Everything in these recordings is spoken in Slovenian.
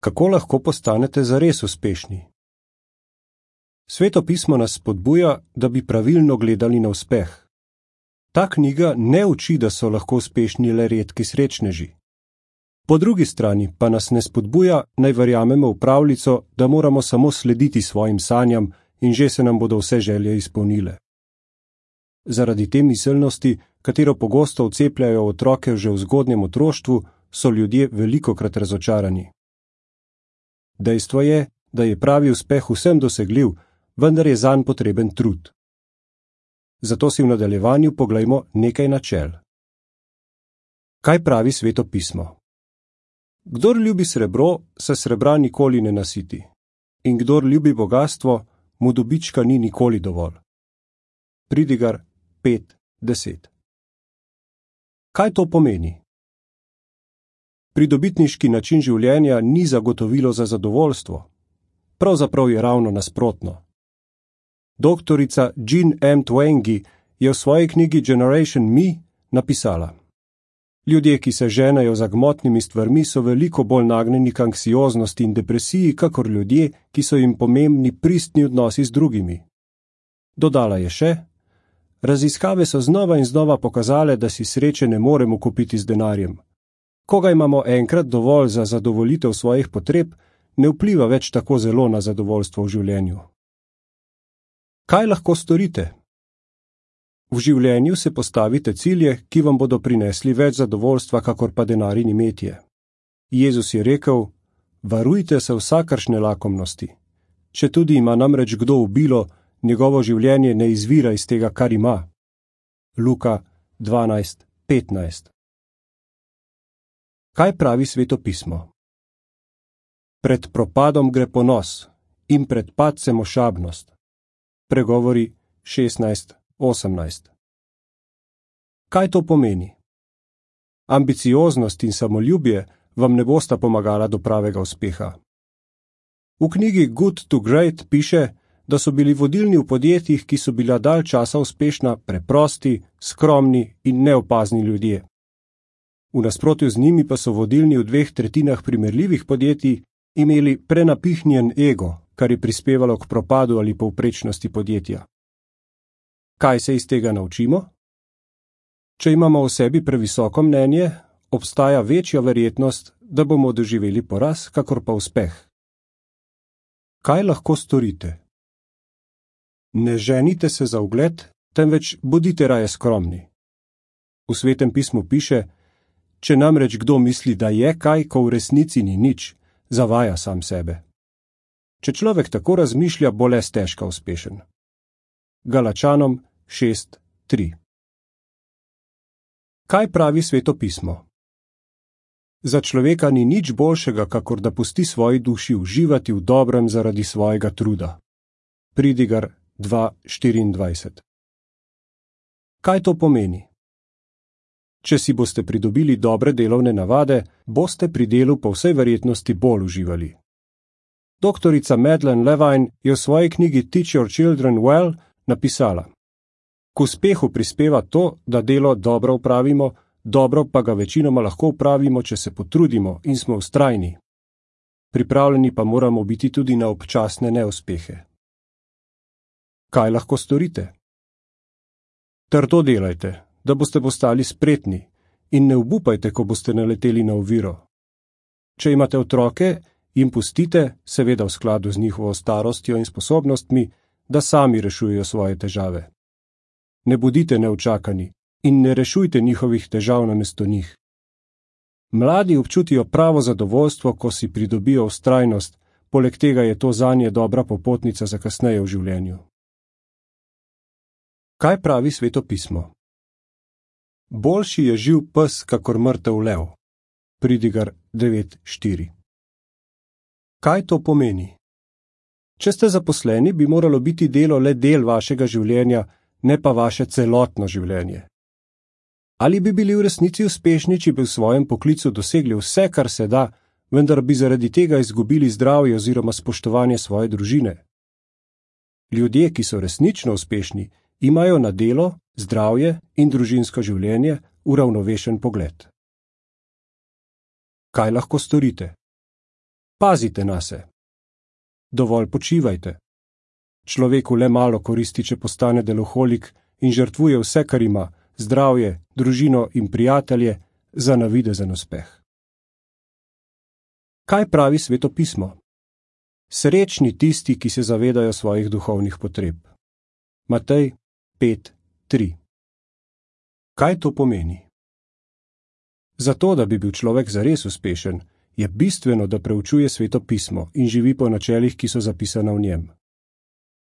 Kako lahko postanete zares uspešni? Sveto pismo nas spodbuja, da bi pravilno gledali na uspeh. Ta knjiga ne uči, da so lahko uspešni le redki srečneži. Po drugi strani pa nas ne spodbuja, naj verjamemo v pravljico, da moramo samo slediti svojim sanjam in že se nam bodo vse želje izpolnile. Zaradi te miselnosti, katero pogosto vcepljajo otroke že v zgodnjem otroštvu, so ljudje velikokrat razočarani. Dejstvo je, da je pravi uspeh vsem dosegljiv, vendar je zanj potreben trud. Zato si v nadaljevanju poglejmo nekaj načel. Kaj pravi Sveto pismo? Kdor ljubi srebro, se srebra nikoli ne nasiti. In kdor ljubi bogastvo, mu dobička ni nikoli dovolj. Pridigar 5:10. Kaj to pomeni? Pridobitniški način življenja ni zagotovilo za zadovoljstvo. Pravzaprav je ravno nasprotno. Doktorica Jean M. Twenge je v svoji knjigi Generation Me napisala: Ljudje, ki se ženejo za gmotnimi stvarmi, so veliko bolj nagnjeni k anksioznosti in depresiji, kakor ljudje, ki so jim pomembni pristni odnosi z drugimi. Dodala je še: Raziskave so znova in znova pokazale, da si sreče ne moremo kupiti z denarjem. Ko ga imamo enkrat dovolj za zadovoljitev svojih potreb, ne vpliva več tako zelo na zadovoljstvo v življenju. Kaj lahko storite? V življenju se postavite cilje, ki vam bodo prinesli več zadovoljstva, kakor pa denar in imetje. Jezus je rekel: Varujte se vsakršne lakomnosti. Če tudi ima namreč kdo obilo, njegovo življenje ne izvira iz tega, kar ima. Luka 12:15. Kaj pravi Sveto pismo? Pred propadom gre ponos in pred padcem ošabnost. Pregovori 16:18. Kaj to pomeni? Ambicioznost in samoljubje vam ne bosta pomagala do pravega uspeha. V knjigi Good to Great piše, da so bili vodilni v podjetjih, ki so bila dalj časa uspešna, preprosti, skromni in neopazni ljudje. V nasprotju z njimi pa so vodilni v 2/3 primerljivih podjetij imeli prenapihnjen ego, kar je prispevalo k propadu ali povprečnosti podjetja. Kaj se iz tega naučimo? Če imamo o sebi previsoko mnenje, obstaja večja verjetnost, da bomo doživeli poraz, kakor pa uspeh. Kaj lahko storite? Ne ženite se za ugled, temveč bodite raje skromni. V Svetem pismu piše: Če namreč kdo misli, da je kaj, ko v resnici ni nič, zavaja sam sebe. Če človek tako razmišlja, bo le stežka uspešen. Galačanom 6:3. Kaj pravi Sveto pismo? Za človeka ni nič boljšega, kakor da pusti svoji duši uživati v dobrem zaradi svojega truda. Pridigar 2:24. Kaj to pomeni? Če si boste pridobili dobre delovne navade, boste pri delu po vsej verjetnosti bolj uživali. Doktorica Madeleine Levine je v svoji knjigi Teach Your Children Well napisala: K uspehu prispeva to, da delo dobro opravimo, dobro pa ga večinoma lahko opravimo, če se potrudimo in smo vztrajni. Pripravljeni pa moramo biti tudi na občasne neuspehe. Kaj lahko storite? Trdo delajte, da boste postali spretni, in ne obupajte, ko boste naleteli na oviro. Če imate otroke, jim pustite, seveda v skladu z njihovo starostjo in sposobnostmi, da sami rešujejo svoje težave. Ne bodite neučakani in ne rešujte njihovih težav namesto njih. Mladi občutijo pravo zadovoljstvo, ko si pridobijo vztrajnost, poleg tega je to zanje dobra popotnica za kasneje v življenju. Kaj pravi Sveto pismo? Boljši je živ pes, kakor mrtev lev. Pridigar 9:4. Kaj to pomeni? Če ste zaposleni, bi moralo biti delo le del vašega življenja, ne pa vaše celotno življenje. Ali bi bili v resnici uspešni, če bi v svojem poklicu dosegli vse, kar se da, vendar bi zaradi tega izgubili zdravje oziroma spoštovanje svoje družine? Ljudje, ki so resnično uspešni, imajo na delo, zdravje in družinsko življenje uravnovešen pogled. Kaj lahko storite? Pazite nase. Dovolj počivajte. Človeku le malo koristi, če postane deloholik in žrtvuje vse, kar ima, zdravje, družino in prijatelje, za navidezen uspeh. Kaj pravi Sveto pismo? Srečni tisti, ki se zavedajo svojih duhovnih potreb. Matej 5:3. Kaj to pomeni? Zato, da bi bil človek zares uspešen, je bistveno, da preučuje Sveto pismo in živi po načelih, ki so zapisana v njem.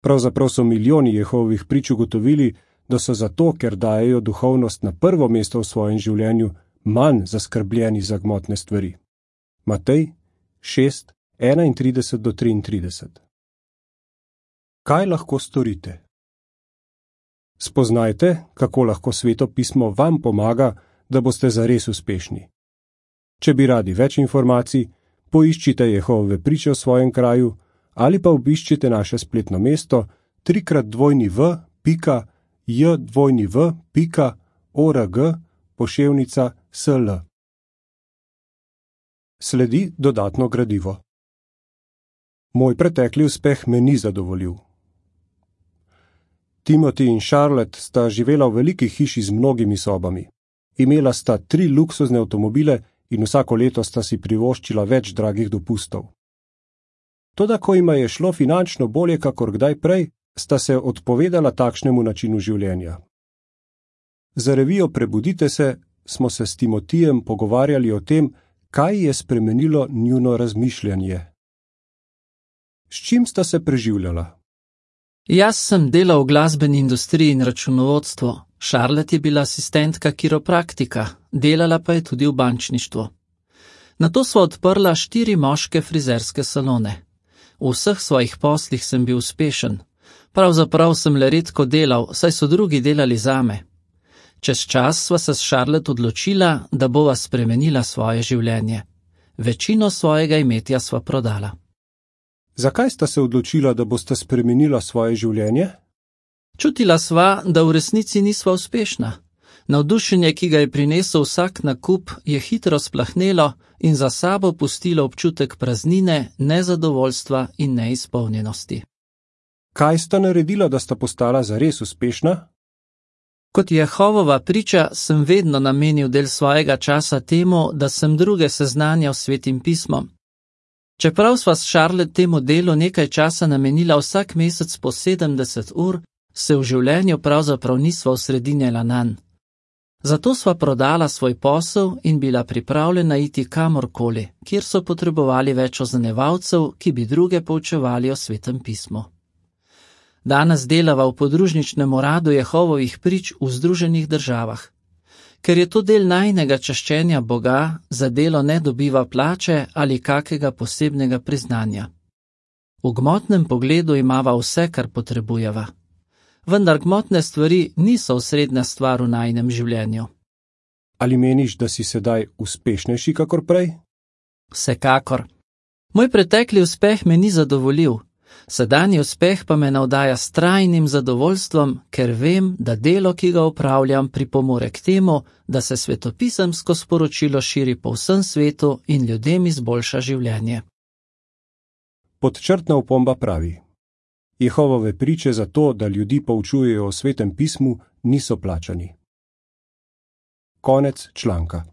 Pravzaprav so milijoni Jehovovih prič ugotovili, da so zato, ker dajejo duhovnost na prvo mesto v svojem življenju, manj zaskrbljeni za gmotne stvari. Matej 6:31-33. Kaj lahko storite? Spoznajte, kako lahko Sveto pismo vam pomaga, da boste zares uspešni. Če bi radi več informacij, poiščite Jehove priče v svojem kraju ali pa obiščite naše spletno mesto www.jw.org/sl. Sledi dodatno gradivo. Moj pretekli uspeh me ni zadovoljil. Timothy in Charlotte sta živela v veliki hiši z mnogimi sobami. Imela sta 3 luksuzne avtomobile in vsako leto sta si privoščila več dragih dopustov. Toda ko jima je šlo finančno bolje kakor kdaj prej, sta se odpovedala takšnemu načinu življenja. Za revijo Prebudite se smo se s Timotijem pogovarjali o tem, kaj je spremenilo njuno razmišljanje. S čim sta se preživljala? Jaz sem delal v glasbeni industriji in računovodstvu, Charlotte je bila asistentka kiropraktika, delala pa je tudi v bančništvu. Nato sva odprla 4 moške frizerske salone. V vseh svojih poslih sem bil uspešen. Pravzaprav sem le redko delal, saj so drugi delali zame. Čez čas sva se s Charlotte odločila, da bova spremenila svoje življenje. Večino svojega imetja sva prodala. Zakaj sta se odločila, da boste spremenila svoje življenje? Čutila sva, da v resnici nisva uspešna. Navdušenje, ki ga je prinesel vsak nakup, je hitro splahnelo in za sabo pustilo občutek praznine, nezadovoljstva in neizpolnjenosti. Kaj sta naredila, da sta postala zares uspešna? Kot Jehovova priča sem vedno namenil del svojega časa temu, da sem druge seznanjal s Svetim pismom. Čeprav sva s Charlotte temu delu nekaj časa namenila vsak mesec po 70 ur, se v življenju pravzaprav nisva osredinjala nanj. Zato sva prodala svoj posel in bila pripravljena iti kamorkoli, kjer so potrebovali več oznanevalcev, ki bi druge poučevali o Svetem pismu. Danes delava v podružničnem uradu Jehovovih prič v Združenih državah. Ker je to del najinega čaščenja Boga, za delo ne dobiva plače ali kakega posebnega priznanja. V gmotnem pogledu imava vse, kar potrebujeva. Vendar gmotne stvari niso osrednja stvar v najinem življenju. Ali meniš, da si sedaj uspešnejši kakor prej? Vsekakor. Moj pretekli uspeh me ni zadovoljil. Sedanji uspeh pa me navdaja s trajnim zadovoljstvom, ker vem, da delo, ki ga opravljam, pripomore k temu, da se svetopisemsko sporočilo širi po vsem svetu in ljudem izboljša življenje. Podčrtna opomba pravi: Jehovove priče za to, da ljudi poučujejo o Svetem pismu, niso plačani. Konec članka.